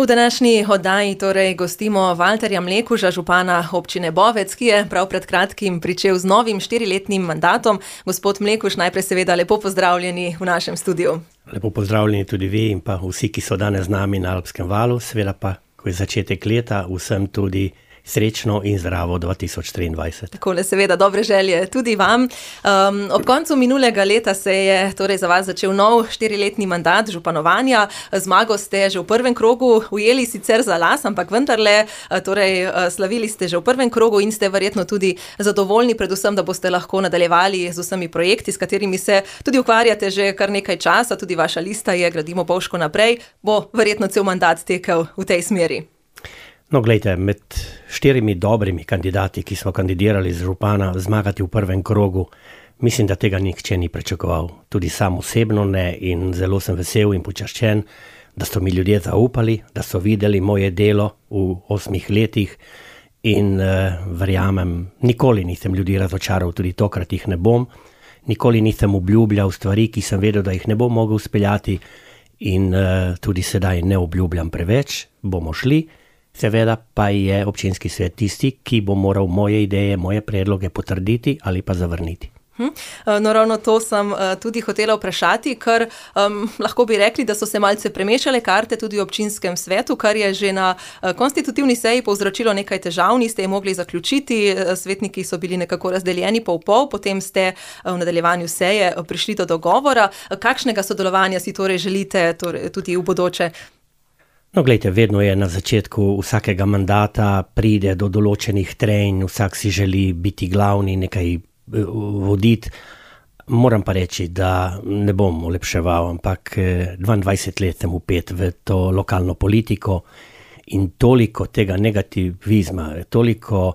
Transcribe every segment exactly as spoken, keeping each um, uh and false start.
V današnji oddaji torej gostimo Valterja Mlekuža, župana občine Bovec, ki je prav pred kratkim pričel z novim štiriletnim mandatom. Gospod Mlekuž, najprej seveda lepo pozdravljeni v našem studiu. Lepo pozdravljeni tudi vi in pa vsi, ki so danes z nami na Alpskem valu, seveda pa, ko je začetek leta, vsem tudi srečno in zdravo dva tisoč triindvajset. Takole seveda dobre želje tudi vam. Um, ob koncu minulega leta se je torej za vas začel nov štiriletni mandat županovanja. Zmago ste že v prvem krogu ujeli sicer za las, ampak vendarle torej slavili ste že v prvem krogu in ste verjetno tudi zadovoljni, predvsem, da boste lahko nadaljevali z vsemi projekti, s katerimi se tudi ukvarjate že kar nekaj časa. Tudi vaša lista je Gradimo Bovško naprej. Bo verjetno cel mandat tekel v tej smeri. No, gledajte, med štirimi dobrimi kandidati, ki smo kandidirali z župana, zmagati v prvem krogu, mislim, da tega nihče ni pričakoval. Tudi sam osebno ne in zelo sem vesel in počaščen, da so mi ljudje zaupali, da so videli moje delo v osmih letih in uh, verjamem, nikoli nisem ljudi razočaral, tudi tokrat jih ne bom. Nikoli nisem obljubljal stvari, ki sem vedel, da jih ne bom mogel speljati in uh, tudi sedaj ne obljubljam preveč, bomo šli. Seveda pa je občinski svet tisti, ki bo moral moje ideje, moje predloge potrditi ali pa zavrniti. Hm. No, ravno to sem tudi hotela vprašati, ker um, lahko bi rekli, da so se malce premešale karte tudi v občinskem svetu, kar je že na konstitutivni seji povzročilo nekaj težav, niste je mogli zaključiti, svetniki so bili nekako razdeljeni pol pol, potem ste v nadaljevanju seje prišli do dogovora. Kakšnega sodelovanja si torej želite torej, tudi v bodoče? No, gledajte, vedno je na začetku vsakega mandata pride do določenih trenj, vsak si želi biti glavni, nekaj voditi. Moram pa reči, da ne bom olepševal, ampak dvaindvajset let sem vpet v to lokalno politiko in toliko tega negativizma, toliko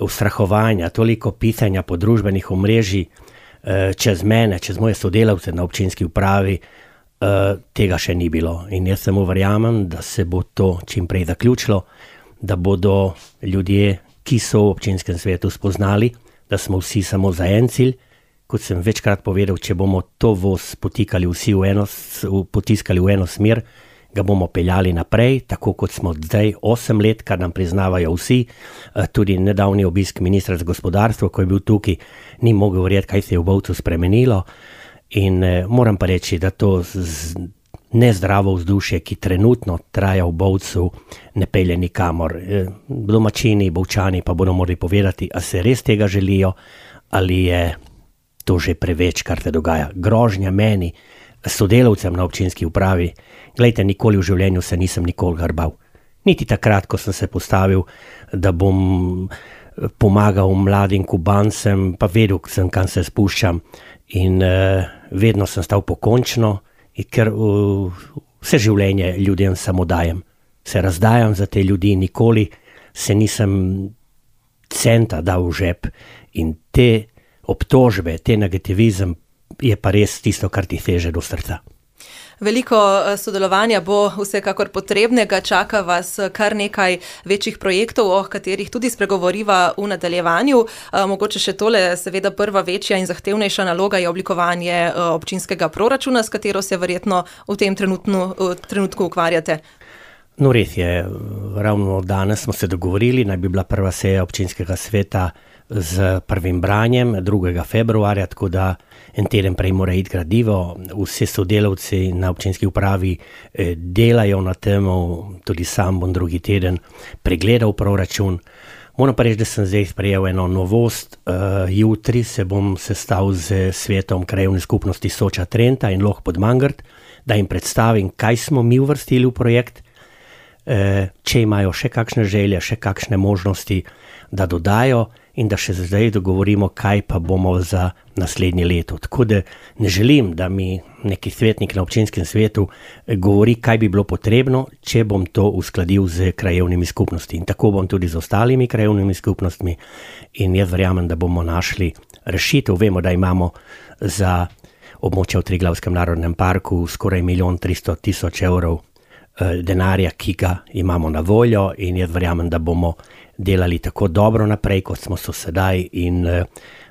ustrahovanja, toliko pisanja po družbenih omrežij čez mene, čez moje sodelavce na občinski upravi, Uh, tega še ni bilo in jaz samo verjamem, da se bo to čim prej zaključilo, da bodo ljudje, ki so v občinskem svetu spoznali, da smo vsi samo za en cilj. Kot sem večkrat povedal, če bomo to voz potikali vsi v eno, potiskali v eno smer, ga bomo peljali naprej, tako kot smo zdaj osem let, kar nam priznavajo vsi. Uh, tudi nedavni obisk ministra za gospodarstvo, ko je bil tukaj, ni mogel verjeti, kaj se je v Bovcu spremenilo. In eh, moram pa reči, da to z nezdravo vzdušje, ki trenutno traja v Bovcu, ne pelje nikamor. Eh, domačini, Bovčani pa bodo morali povedati, a se res tega želijo, ali je to že preveč, kar se dogaja. Grožnja meni, sodelavcem na občinski upravi, glejte, nikoli v življenju se nisem nikoli grbal. Niti takrat, ko sem se postavil, da bom pomagal mladim Kubancem, pa vedel sem, kam se spuščam. In uh, vedno sem stal pokončno, ker uh, vse življenje ljudem samo dajem. Se razdajam za te ljudi, nikoli se nisem centa dal v žep. In te obtožbe, te negativizem je pa res tisto, kar ti seže do srca. Veliko sodelovanja bo vsekakor potrebnega, čaka vas kar nekaj večjih projektov, o katerih tudi spregovoriva v nadaljevanju. Mogoče še tole, seveda prva večja in zahtevnejša naloga je oblikovanje občinskega proračuna, s katero se verjetno v tem trenutnu, trenutku ukvarjate. No, res je, ravno danes smo se dogovorili, naj bi bila prva seja občinskega sveta z prvim branjem drugega februarja, tako da en teden prej mora iti gradivo. Vsi sodelavci na občinski upravi eh, delajo na tem, tudi sam bom drugi teden pregledal proračun. Moram pa reči, da sem zdaj sprejel eno novost. Uh, jutri se bom sestal z svetom krajevne skupnosti Soča Trenta in Loh pod Mangart, da jim predstavim, kaj smo mi uvrstili v projekt, uh, če imajo še kakšne želje, še kakšne možnosti, da dodajo in da še zdaj dogovorimo, kaj pa bomo za naslednje leto. Tako da ne želim, da mi neki svetnik na občinskem svetu govori, kaj bi bilo potrebno, če bom to uskladil z krajevnimi skupnosti. In tako bom tudi z ostalimi krajevnimi skupnostmi in jaz verjamem, da bomo našli rešitev. Vemo, da imamo za območje v Triglavskem narodnem parku skoraj milijon tristo tisoč evrov denarja, ki ga imamo na voljo in jaz verjamem, da bomo delali tako dobro naprej, kot smo so sedaj in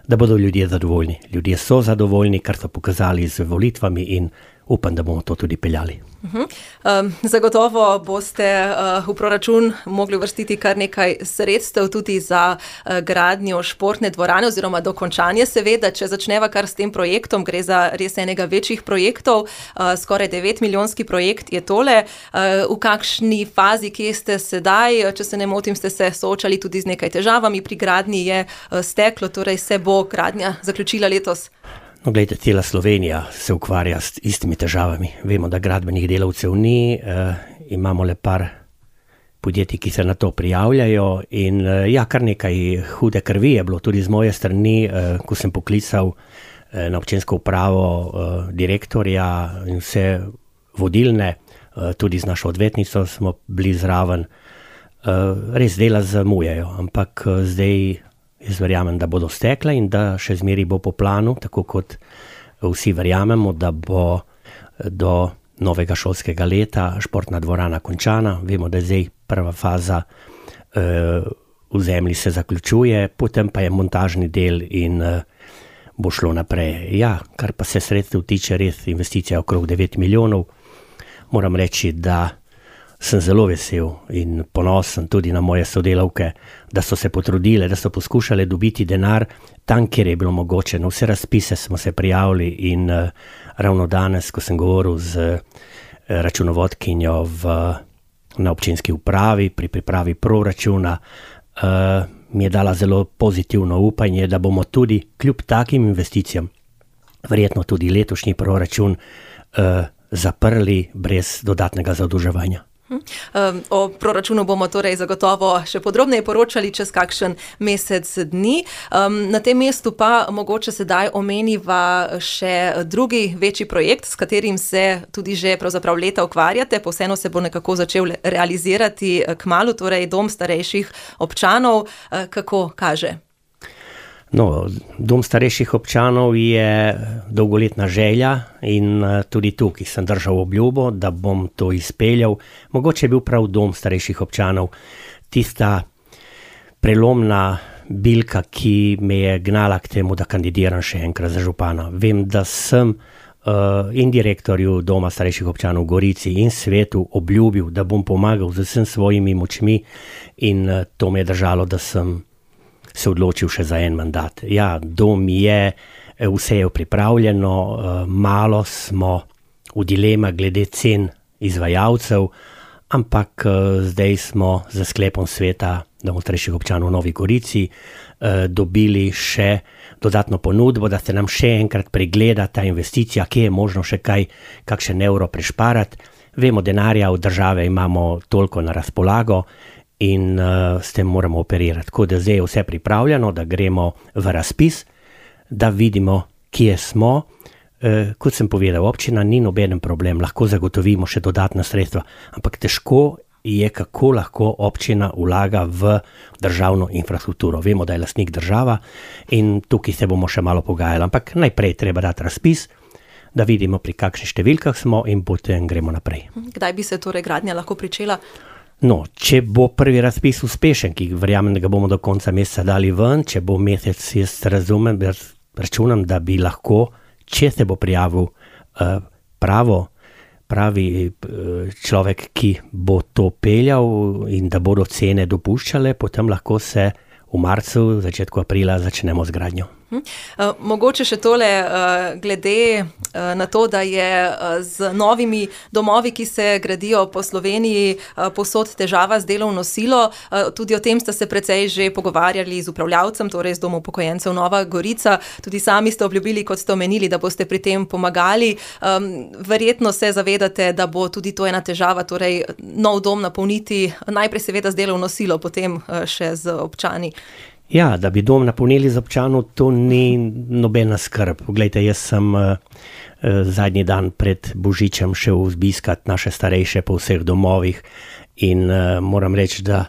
da bodo ljudje zadovoljni. Ljudje so zadovoljni, kar so pokazali z volitvami in upam, da bomo to tudi peljali. Uh-huh. Um, zagotovo boste uh, v proračun mogli uvrstiti kar nekaj sredstev tudi za uh, gradnjo športne dvorane oziroma dokončanje seveda, če začneva kar s tem projektom, gre za res enega večjih projektov, uh, skoraj devet milijonski projekt je tole. Uh, v kakšni fazi, kje ste sedaj, če se ne motim, ste se soočali tudi z nekaj težavami pri gradnji, je uh, steklo, torej se bo gradnja zaključila letos? No, gledajte, cela Slovenija se ukvarja s istimi težavami. Vemo, da gradbenih delavcev ni, eh, imamo le par podjetij, ki se na to prijavljajo in eh, ja, kar nekaj hude krvi je bilo tudi z moje strani, eh, ko sem poklical eh, na občinsko upravo eh, direktorja in vse vodilne, eh, tudi z našo odvetnico smo bili zraven. Eh, res dela zamujajo, ampak eh, zdaj jaz verjamem, da bodo stekle in da še zmeri bo po planu, tako kot vsi verjamemo, da bo do novega šolskega leta športna dvorana končana. Vemo, da je zdaj prva faza uh, v zemlji se zaključuje, potem pa je montažni del in uh, bo šlo naprej. Ja, kar pa se sredstev tiče, res investicija okrog devet milijonov. Moram reči, da sem zelo vesel in ponosen tudi na moje sodelavke, da so se potrudile, da so poskušale dobiti denar tam, kjer je bilo mogoče. Na vse razpise smo se prijavili in uh, ravno danes, ko sem govoril z uh, računovodkinjo v, na občinski upravi pri pripravi proračuna, uh, mi je dala zelo pozitivno upanje, da bomo tudi kljub takim investicijam verjetno tudi letošnji proračun uh, zaprli brez dodatnega zadolževanja. O proračunu bomo torej zagotovo še podrobneje poročali čez kakšen mesec dni. Na tem mestu pa mogoče sedaj omeniva še drugi večji projekt, s katerim se tudi že pravzaprav leta ukvarjate, pa vseeno se bo nekako začel realizirati kmalu, torej dom starejših občanov. Kako kaže? No, dom starejših občanov je dolgoletna želja in tudi tukaj sem držal obljubo, da bom to izpeljal. Mogoče je bil prav dom starejših občanov tista prelomna bilka, ki me je gnala k temu, da kandidiram še enkrat za župana. Vem, da sem uh, in direktorju doma starejših občanov v Gorici in svetu obljubil, da bom pomagal z vsem svojimi močmi in uh, to me je držalo, da sem se odločil še za en mandat. Ja, dom je, vse je pripravljeno, malo smo v dilema glede cen izvajalcev, ampak zdaj smo za sklepom sveta domov starejših občanov v Novi Gorici dobili še dodatno ponudbo, da se nam še enkrat pregleda ta investicija, kje je možno še kaj, kakšen evro prešparati. Vemo, denarja od države imamo toliko na razpolago, in uh, s tem moramo operirati. Tako da zdaj je vse pripravljeno, da gremo v razpis, da vidimo, kje smo. Uh, kot sem povedal, občina ni nobeden problem, lahko zagotovimo še dodatna sredstva, ampak težko je, kako lahko občina vlaga v državno infrastrukturo. Vemo, da je lastnik država in tukaj se bomo še malo pogajali, ampak najprej treba dati razpis, da vidimo, pri kakšnih številkah smo in potem gremo naprej. Kdaj bi se torej gradnja lahko pričela? No, če bo prvi razpis uspešen, ki verjamem, da ga bomo do konca meseca dali ven, če bo mesec, jaz razumem, računam, da bi lahko, če se bo prijavil uh, pravo, pravi uh, človek, ki bo to peljal in da bodo cene dopuščale, potem lahko se v marcu, začetku aprila začnemo z gradnjo. Uh, mogoče še tole uh, glede uh, na to, da je uh, z novimi domovi, ki se gradijo po Sloveniji, uh, povsod težava z delovno silo. Uh, tudi o tem ste se precej že pogovarjali z upravljavcem, torej z domom upokojencev Nova Gorica. Tudi sami ste obljubili, kot ste omenili, da boste pri tem pomagali. Um, verjetno se zavedate, da bo tudi to ena težava, torej nov dom napolniti najprej seveda z delovno silo, potem uh, še z občani. Ja, da bi dom napolnili z občanov, to ni nobena skrb. Poglejte, jaz sem uh, zadnji dan pred Božičem šel zbiskat naše starejše po vseh domovih in uh, moram reči, da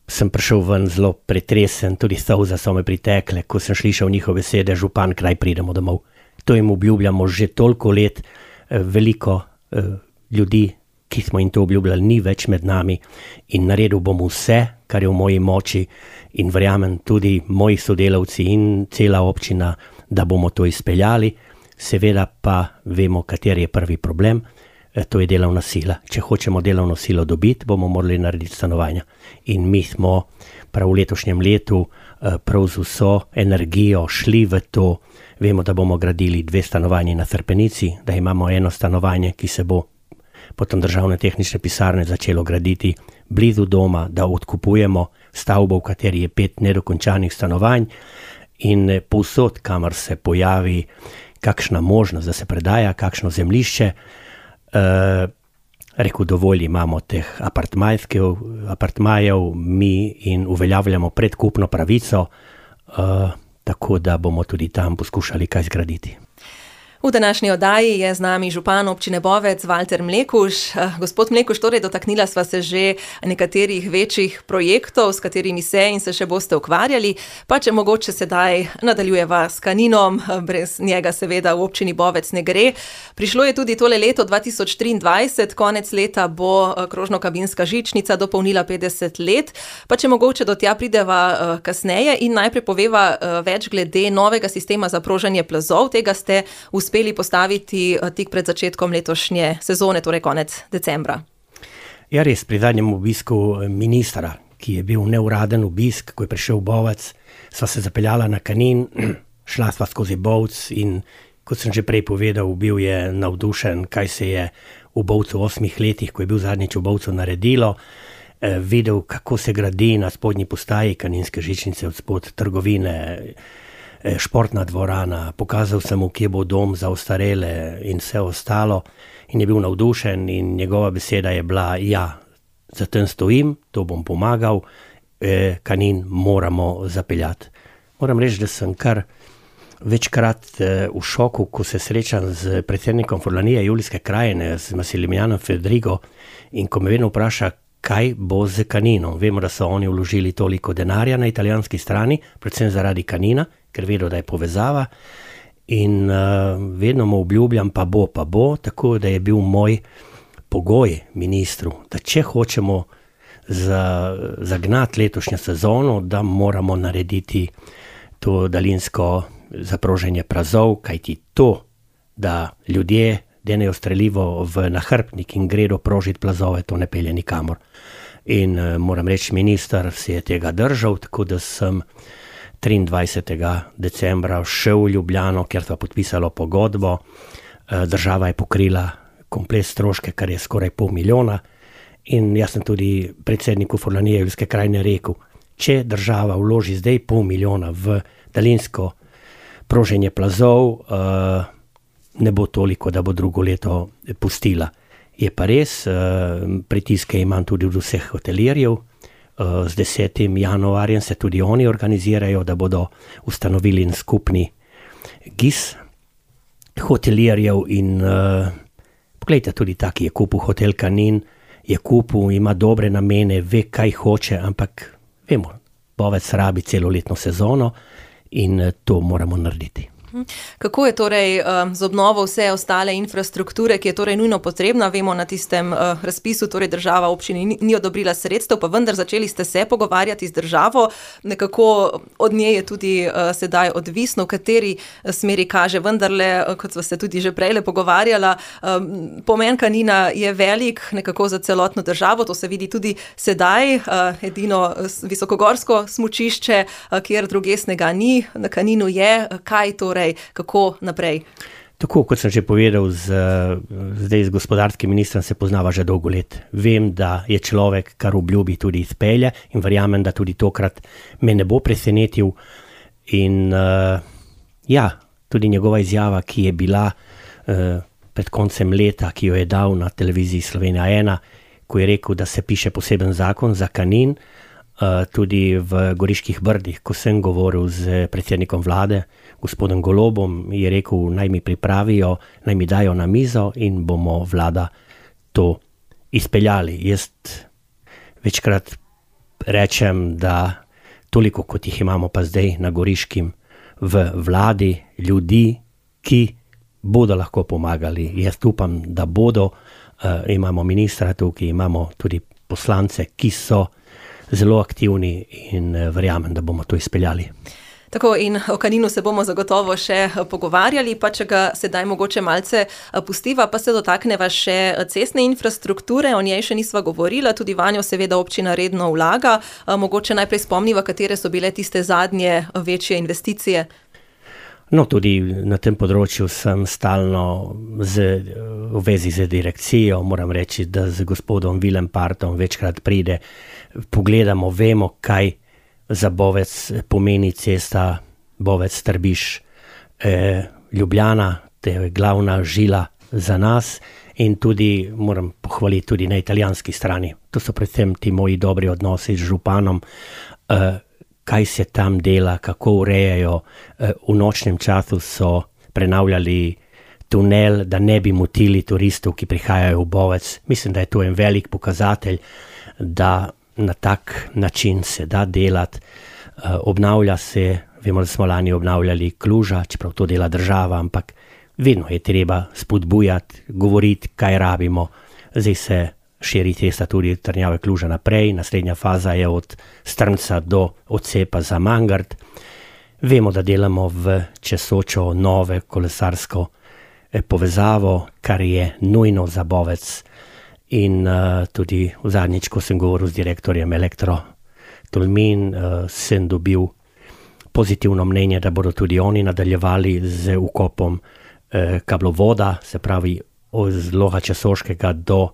sem prišel ven zelo pretresen, tudi solze so me pritekle, ko sem slišal njihove besede, župan, kdaj pridemo domov. To jim obljubljamo že toliko let, uh, veliko uh, ljudi, ki smo jim to obljubljali, ni več med nami in naredil bom vse, kar je v moji moči in verjamem tudi moji sodelavci in cela občina, da bomo to izpeljali. seveda pa vemo, kateri je prvi problem, to je delovna sila. Če hočemo delovno silo dobiti, bomo morali narediti stanovanja. In mi smo prav v letošnjem letu prav z vso energijo šli v to. Vemo, da bomo gradili dve stanovanji na Trpenici, da imamo eno stanovanje, ki se bo potom državne tehnične pisarne začelo graditi blizu doma, da odkupujemo stavbo, v kateri je pet nedokončanih stanovanj in povsod, kamor se pojavi kakšna možnost, da se predaja kakšno zemljišče, Uh, rekel, dovolj imamo teh apartmajev, mi in uveljavljamo predkupno pravico, uh, tako da bomo tudi tam poskušali kaj zgraditi. V današnji oddaji je z nami župan občine Bovec Valter Mlekuž. Gospod Mlekuž, torej dotaknila sva se že nekaterih večjih projektov, s katerimi se in se še boste ukvarjali, pa če mogoče sedaj nadaljujeva s Kaninom, brez njega seveda v občini Bovec ne gre. Prišlo je tudi tole leto dva tisoč triindvajset, konec leta bo krožno-kabinska žičnica dopolnila petdeset let, pa če mogoče do tja prideva kasneje in najprej poveva več glede novega sistema za proženje plazov. Tega ste uspeli uspeli postaviti tik pred začetkom letošnje sezone, torej konec decembra. Ja, res, pri zadnjem obisku ministra, ki je bil neuraden obisk, ko je prišel v Bovec, sva se zapeljala na Kanin, šla sva skozi Bovec in, kot sem že prej povedal, bil je navdušen, kaj se je v Bovcu v osmih letih, ko je bil zadnjič v Bovcu naredilo, eh, videl, kako se gradi na spodnji postaji Kaninske žičnice, od spod trgovine, športna dvorana, pokazal sem mu, kje bo dom za ostarele in vse ostalo in je bil navdušen in njegova beseda je bila, ja, za tem stojim, to bom pomagal, eh, Kanin moramo zapeljati. Moram reči, da sem kar večkrat eh, v šoku, ko se srečam z predsednikom Furlanije Julijske krajine, z Massimilianom Fedrigo, in ko me vedno vpraša, kaj bo z Kaninom. Vemo, da so oni vložili toliko denarja na italijanski strani, predvsem zaradi Kanina, ker vedo, da je povezava in uh, vedno mu obljubljam, pa bo, pa bo, tako da je bil moj pogoj ministru, da če hočemo za, zagnati letošnjo sezono, da moramo narediti to daljinsko zaproženje plazov, kajti to, da ljudje denejo strelivo v nahrbtnik in gredo prožiti plazove, to ne pelje nikamor. In uh, moram reči, minister se je tega držal, tako da sem triindvajsetega decembra šel v Ljubljano, kjer sva podpisalo pogodbo. Država je pokrila komplet stroške, kar je skoraj pol milijona. In jaz sem tudi predsedniku Furlanije Julijske krajine rekel, če država vloži zdaj pol milijona v daljinsko proženje plazov, ne bo toliko, da bo drugo leto pustila. Je pa res, pritiske imam tudi od vseh hotelirjev. Z desetim januarjem se tudi oni organizirajo, da bodo ustanovili skupni G I S hotelirjev in uh, pogledajte, tudi taki je kupil hotel Kanin, je kupil, ima dobre namene, ve, kaj hoče, ampak vemo, Bovec rabi celoletno sezono in uh, to moramo narediti. Kako je torej z obnovo vse ostale infrastrukture, ki je torej nujno potrebna? Vemo, na tistem razpisu torej država občini ni odobrila sredstev, pa vendar začeli ste se pogovarjati z državo. Nekako od nje je tudi sedaj odvisno, v kateri smeri kaže. Vendarle, kot sva se tudi že prej pogovarjala, pomen Kanina je velik nekako za celotno državo. To se vidi tudi sedaj. Edino visokogorsko smučišče, kjer druge snega ni, na Kaninu je. Kaj torej? Kako naprej? Tako, kot sem že povedal, z, zdaj z gospodarskim ministrom se poznava že dolgo let. Vem, da je človek, kar obljubi, tudi izpelje in verjamem, da tudi tokrat me ne bo presenetil. In uh, ja, tudi njegova izjava, ki je bila uh, pred koncem leta, ki jo je dal na televiziji Slovenija ena, ko je rekel, da se piše poseben zakon za Kanin, uh, tudi v Goriških Brdih, ko sem govoril z predsednikom vlade, gospodom Golobom, je rekel, naj mi pripravijo, naj mi dajo na mizo in bomo vlada to izpeljali. Jaz večkrat rečem, da toliko, kot jih imamo pa zdaj na Goriškim v vladi, ljudi, ki bodo lahko pomagali. Jaz upam, da bodo, uh, imamo ministra tukaj, imamo tudi poslance, ki so zelo aktivni in uh, verjamem, da bomo to izpeljali. Tako, in o Kaninu se bomo zagotovo še pogovarjali, pa če ga sedaj mogoče malce pustiva, pa se dotakneva še cestne infrastrukture, o njej še nisva govorila, tudi vanjo seveda občina redno vlaga. Mogoče najprej spomniva, katere so bile tiste zadnje večje investicije. No, tudi na tem področju sem stalno z, v vezi z direkcijo, moram reči, da z gospodom Vilempartom večkrat pride, pogledamo, vemo, kaj za Bovec pomeni cesta Bovec-Trbiš eh, Ljubljana, to je glavna žila za nas in tudi, moram pohvaliti tudi na italijanski strani. To so predvsem ti moji dobri odnosi z županom, eh, kaj se tam dela, kako urejajo. V nočnem času so prenavljali tunel, da ne bi motili turistov, ki prihajajo v Bovec. Mislim, da je to en velik pokazatelj, da na tak način se da delati. Obnavlja se, vemo, da smo lani obnavljali Kluža, čeprav to dela država, ampak vedno je treba spodbujati, govoriti, kaj rabimo. Zdaj se širi cesta tudi Trnjave Kluža naprej, naslednja faza je od Strmca do odcepa za Mangart. Vemo, da delamo v Česočo nove kolesarsko povezavo, kar je nujno za Bovec. In uh, tudi v zadnjič, ko sem govoril z direktorjem Elektro Tolmin, uh, sem dobil pozitivno mnenje, da bodo tudi oni nadaljevali z ukopom uh, kablovoda, se pravi od Loga Česoškega do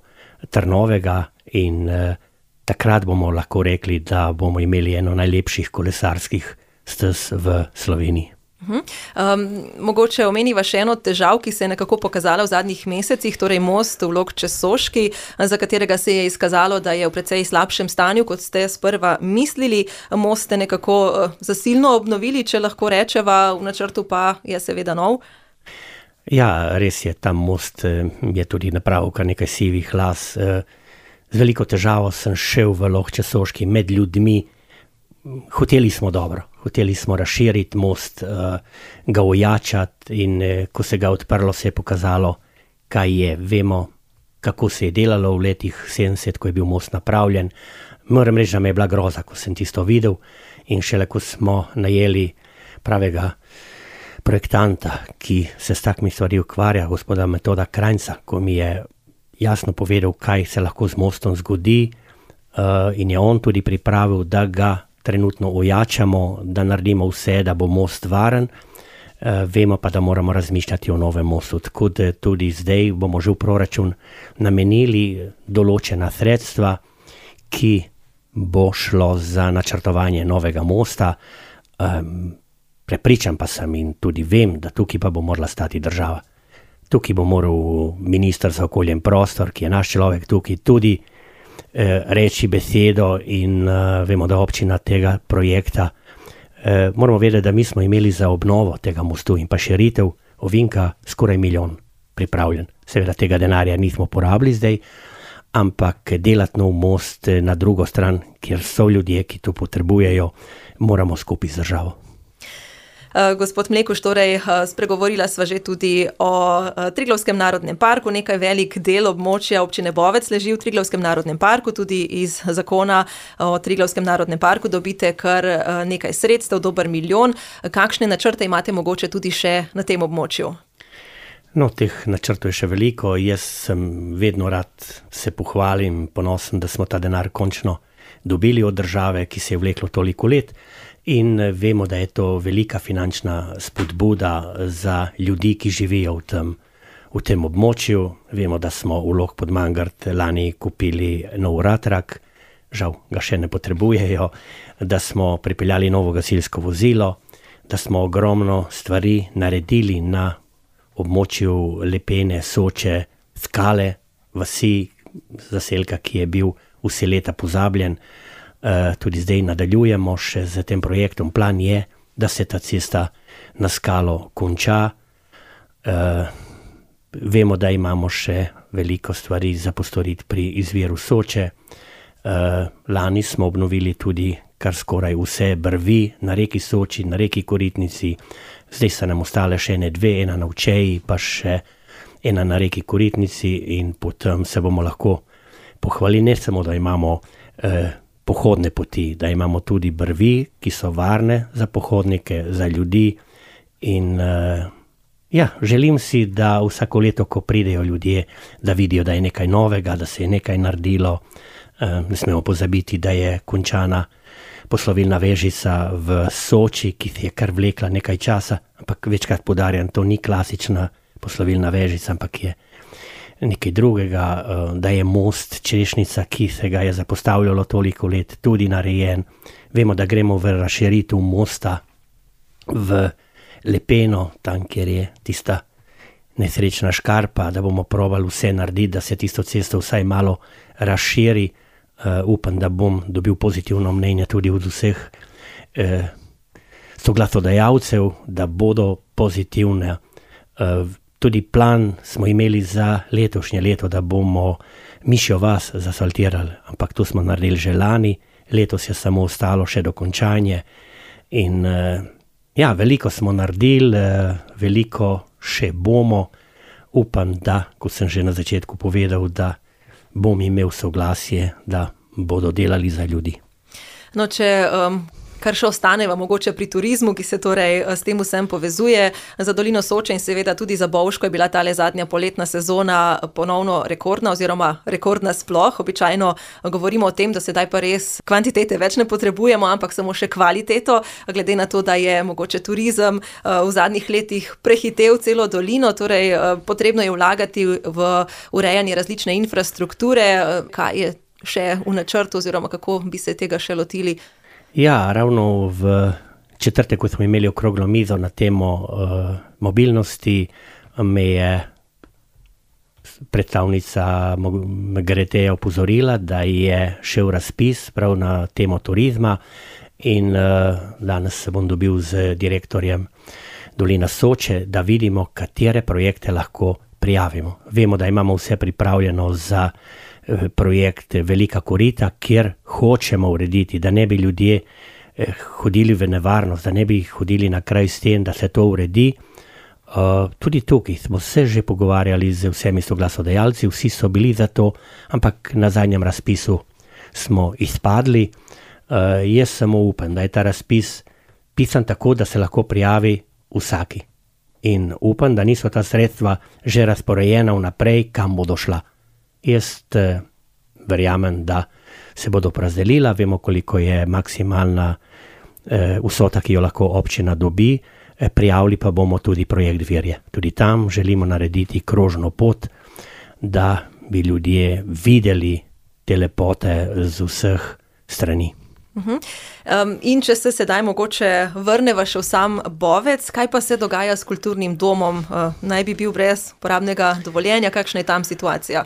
Trnovega in eh, takrat bomo lahko rekli, da bomo imeli eno najlepših kolesarskih stez v Sloveniji. Uh-huh. Um, mogoče omeniva še eno težav, ki se je nekako pokazala v zadnjih mesecih, torej most v Log Česoški, za katerega se je izkazalo, da je v precej slabšem stanju, kot ste sprva mislili. Most ste nekako uh, zasilno obnovili, če lahko rečeva, v načrtu pa je seveda nov. Ja, res je, tam most je tudi napravil kar nekaj sivih las. Z veliko težavo sem šel v Log Česoški med ljudmi. Hoteli smo dobro, hoteli smo razširiti most, ga ojačati in ko se ga odprlo, se je pokazalo, kaj je. Vemo, kako se je delalo v letih sedemdeset, ko je bil most napravljen. Moram reči, da me je bila groza, ko sem tisto videl in šele ko smo najeli pravega projektanta, ki se s takimi stvari ukvarja, gospoda Metoda Krajnca, ko mi je jasno povedal, kaj se lahko z mostom zgodi uh, in je on tudi pripravil, da ga trenutno ojačamo, da naredimo vse, da bo most varen. Uh, vemo pa, da moramo razmišljati o novem mostu, tako da tudi zdaj bomo že v proračun namenili določena sredstva, ki bo šlo za načrtovanje novega mosta. Um, Prepričan pa sem in tudi vem, da tukaj pa bo morala stati država. Tukaj bo moral minister za okolje in prostor, ki je naš človek tukaj, tudi eh, reči besedo in eh, vemo, da občina tega projekta. Eh, moramo vedeti, da mi smo imeli za obnovo tega mostu in pa širitev ovinka skoraj milijon pripravljen. Seveda tega denarja nismo porabili zdaj, ampak delati nov most na drugo stran, kjer so ljudje, ki to potrebujejo, moramo skupaj z državo. Gospod Mlekuž, torej spregovorila sva že tudi o Triglavskem narodnem parku. Nekaj velik del območja občine Bovec leži v Triglavskem narodnem parku. Tudi iz zakona o Triglavskem narodnem parku dobite kar nekaj sredstev, dober milijon. Kakšne načrte imate mogoče tudi še na tem območju? No, teh načrtov je še veliko. Jaz sem vedno rad se pohvalim, ponosen, da smo ta denar končno dobili od države, ki se je vleklo toliko let. In vemo, da je to velika finančna spodbuda za ljudi, ki živijo v tem, v tem območju. Vemo, da smo v Log pod Mangart lani kupili nov ratrak, žal ga še ne potrebujejo, da smo pripeljali novo gasilsko vozilo, da smo ogromno stvari naredili na območju Lepene, Soče, Skale, vasi, zaselka, ki je bil vse leta pozabljen. Uh, tudi zdaj nadaljujemo še z tem projektom. Plan je, da se ta cesta na Skalo konča. Uh, vemo, da imamo še veliko stvari za postoriti pri izviru Soče. Uh, lani smo obnovili tudi kar skoraj vse brvi na reki Soči, na reki Koritnici. Zdaj so nam ostale še ene dve, ena na Včeji, pa še ena na reki Koritnici in potem se bomo lahko pohvalili, ne samo, da imamo uh, pohodne poti, da imamo tudi brvi, ki so varne za pohodnike, za ljudi in uh, ja, želim si, da vsako leto, ko pridejo ljudje, da vidijo, da je nekaj novega, da se je nekaj naredilo. Uh, ne smemo pozabiti, da je končana poslovilna vežica v Soči, ki je kar vlekla nekaj časa, ampak večkrat poudarjam, to ni klasična poslovilna vežica, ampak je nekaj drugega, da je most Češnica, ki se ga je zapostavljalo toliko let, tudi narejen. Vemo, da gremo v razširitev mosta v Lepeno, tam, kjer je tista nesrečna škarpa, da bomo probali vse narediti, da se tisto cesto vsaj malo razširi. Uh, upam, da bom dobil pozitivno mnenje tudi od vseh uh, soglasodajalcev, da bodo pozitivne. Uh, Tudi plan smo imeli za letošnje leto, da bomo Mišjo vas zasfaltirali, ampak to smo naredili že lani, letos je samo ostalo še dokončanje in ja, veliko smo naredili, veliko še bomo. Upam, da, kot sem že na začetku povedal, da bom imel soglasje, da bodo delali za ljudi. No, če um, kar še ostaneva mogoče pri turizmu, ki se torej s tem vsem povezuje, za dolino Soče in seveda tudi za Bovško je bila tale zadnja poletna sezona ponovno rekordna oziroma rekordna sploh. Običajno govorimo o tem, da sedaj pa res kvantitete več ne potrebujemo, ampak samo še kvaliteto, glede na to, da je mogoče turizem v zadnjih letih prehitel celo dolino, torej potrebno je vlagati v urejanje različne infrastrukture. Kaj je še v načrtu oziroma kako bi se tega še lotili? Ja, ravno v četrtek, ko smo imeli okroglo mizo na temo uh, mobilnosti, me je predstavnica M G R T-ja opozorila, da je šel razpis prav na temo turizma in uh, danes se bom dobil z direktorjem Dolina Soče, da vidimo, katere projekte lahko prijavimo. Vemo, da imamo vse pripravljeno za projekt Velika korita, kjer hočemo urediti, da ne bi ljudje hodili v nevarnost, da ne bi hodili na kraj sten, da se to uredi. Tudi tukaj smo se že pogovarjali z vsemi soglasodajalci, vsi so bili za to, ampak na zadnjem razpisu smo izpadli. Jaz samo upam, da je ta razpis pisan tako, da se lahko prijavi vsaki. In upam, da niso ta sredstva že razporejena vnaprej, kam bodo šla. Jaz eh, verjamem, da se bodo porazdelila, vemo, koliko je maksimalna eh, vsota, ki jo lahko občina dobi, eh, prijavili pa bomo tudi projekt Virje. Tudi tam želimo narediti krožno pot, da bi ljudje videli te lepote z vseh strani. Uh-huh. Um, in če se sedaj mogoče vrneva še v sam Bovec, kaj pa se dogaja s kulturnim domom? Uh, naj bi bil brez uporabnega dovoljenja, kakšna je tam situacija?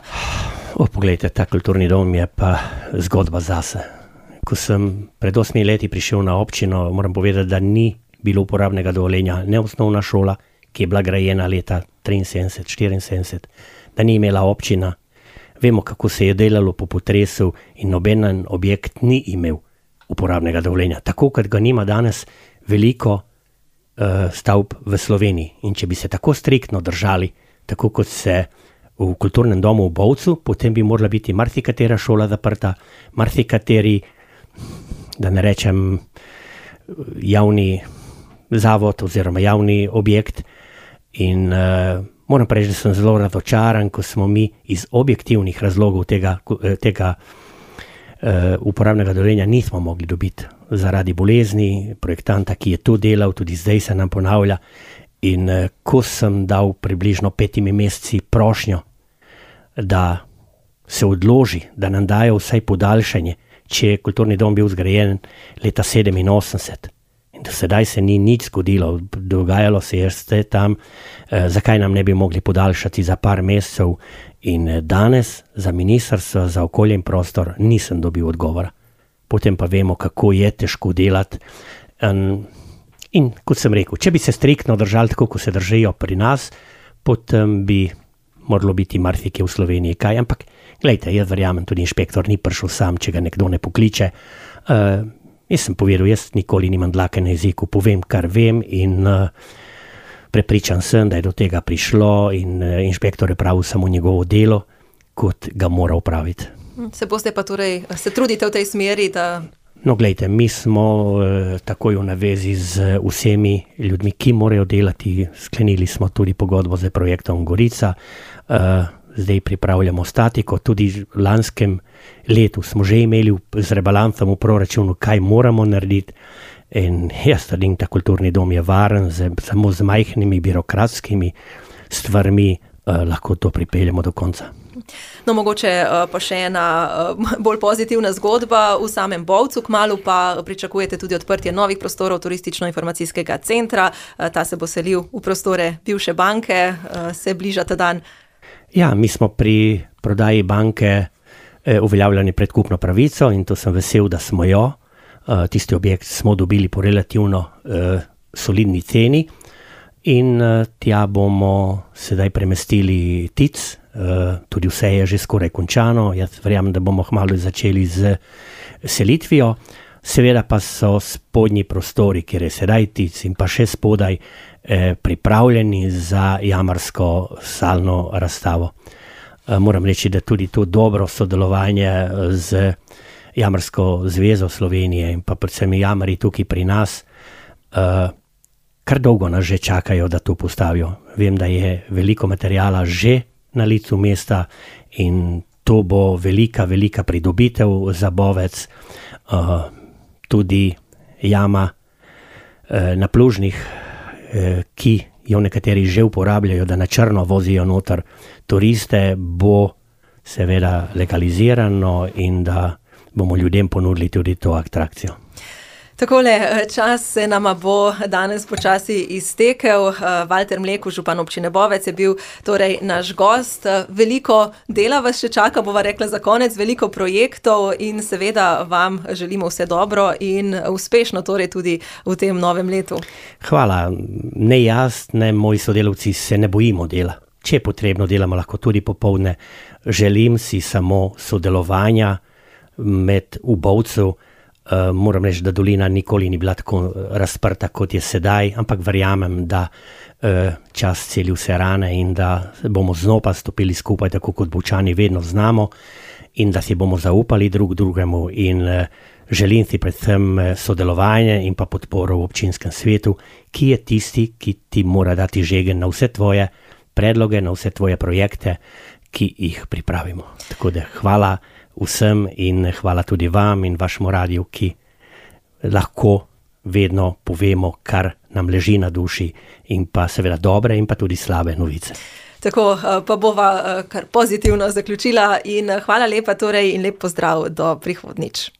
O, poglejte, ta kulturni dom je pa zgodba zase. Ko sem pred osmi leti prišel na občino, moram povedati, da ni bilo uporabnega dovoljenja, ne osnovna šola, ki je bila grajena leta triinsedemdeset štiriinsedemdeset, da ni imela občina. Vemo, kako se je delalo po potresu in nobenen objekt ni imel uporabnega dovoljenja. Tako, kot ga nima danes veliko uh, stavb v Sloveniji. In če bi se tako striktno držali, tako kot se v kulturnem domu v Bovcu, potem bi morala biti marsikatera šola zaprta, marsikateri, da ne rečem, javni zavod oziroma javni objekt. In uh, moram reči, da sem zelo razočaran, ko smo mi iz objektivnih razlogov tega, tega Uh, uporabnega dovoljenja nismo mogli dobiti zaradi bolezni projektanta, ki je to delal, tudi zdaj se nam ponavlja. In uh, ko sem dal približno petimi meseci prošnjo, da se odloži, da nam dajo vsaj podaljšanje, če je kulturni dom bil zgrajen leta sedeminosemdeset. In do sedaj se ni nič zgodilo, dogajalo se je vse tam, uh, zakaj nam ne bi mogli podaljšati za par mesecev. In danes za ministrstvo za okolje in prostor nisem dobil odgovora. Potem pa vemo, kako je težko delati. In, in kot sem rekel, če bi se striktno držali tako, kot se držijo pri nas, potem bi moralo biti marsikje v Sloveniji kaj. Ampak, glejte, jaz verjamem, tudi inšpektor ni prišel sam, če ga nekdo ne pokliče. Uh, jaz sem povedal, jaz nikoli nimam dlake na jeziku, povem, kar vem in uh, prepričan sem, da je do tega prišlo in inšpektor je pravil samo njegovo delo, kot ga mora opraviti. Se boste pa torej, se trudite v tej smeri, da... No, glejte, mi smo eh, takoj v navezi z vsemi ljudmi, ki morajo delati. Sklenili smo tudi pogodbo z projektom Gorica. Eh, zdaj pripravljamo statiko. Tudi v lanskem letu smo že imeli z rebalansom v proračunu, kaj moramo narediti. In jaz trdim, da kulturni dom je varen, z, samo z majhnimi birokratskimi stvarmi eh, lahko to pripeljemo do konca. No, mogoče pa še ena bolj pozitivna zgodba v samem Bovcu, kmalu pa pričakujete tudi odprtje novih prostorov turistično-informacijskega centra. Ta se bo selil v prostore bivše banke, se bliža ta dan. Ja, mi smo pri prodaji banke uveljavljali predkupno pravico in to sem vesel, da smo jo. Tisti objekt smo dobili po relativno solidni ceni in tja bomo sedaj premestili T I C. Uh, tudi vse je že skoraj končano, jaz verjamem, da bomo kmalu začeli z selitvijo. Seveda pa so spodnji prostori, kjer je sedaj T I C in pa še spodaj eh, pripravljeni za jamarsko salno razstavo. Uh, moram reči, da tudi to dobro sodelovanje z Jamarsko zvezo Slovenije in pa predvsem jamari tukaj pri nas, uh, kar dolgo nas že čakajo, da to postavijo. Vem, da je veliko materijala že na licu mesta in to bo velika, velika pridobitev za Bovec. Uh, tudi jama uh, na Plužnih, uh, ki jo nekateri že uporabljajo, da na črno vozijo noter turiste, bo seveda legalizirano in da bomo ljudem ponudili tudi to atrakcijo. Takole, čas se nama bo danes počasi iztekel. Valter Mlekuž, župan občine Bovec, je bil torej naš gost. Veliko dela vas še čaka, bova rekla za konec, veliko projektov in seveda vam želimo vse dobro in uspešno torej tudi v tem novem letu. Hvala. Ne jaz, ne moji sodelavci se ne bojimo dela. Če je potrebno, delamo lahko tudi popoldne. Želim si samo sodelovanja med v Bovcu. Uh, moram reči, da dolina nikoli ni bila tako razprta, kot je sedaj, ampak verjamem, da uh, čas celi vse rane in da bomo znova stopili skupaj, tako kot Bovčani vedno znamo in da si bomo zaupali drug drugemu in uh, želim si predvsem sodelovanje in pa podporo v občinskem svetu, ki je tisti, ki ti mora dati žegen na vse tvoje predloge, na vse tvoje projekte, ki jih pripravimo. Tako da hvala vsem in hvala tudi vam in vašemu radiju, ki lahko vedno povemo, kar nam leži na duši in pa seveda dobre in pa tudi slabe novice. Tako pa bova kar pozitivno zaključila in hvala lepa torej in lep pozdrav do prihodnjič.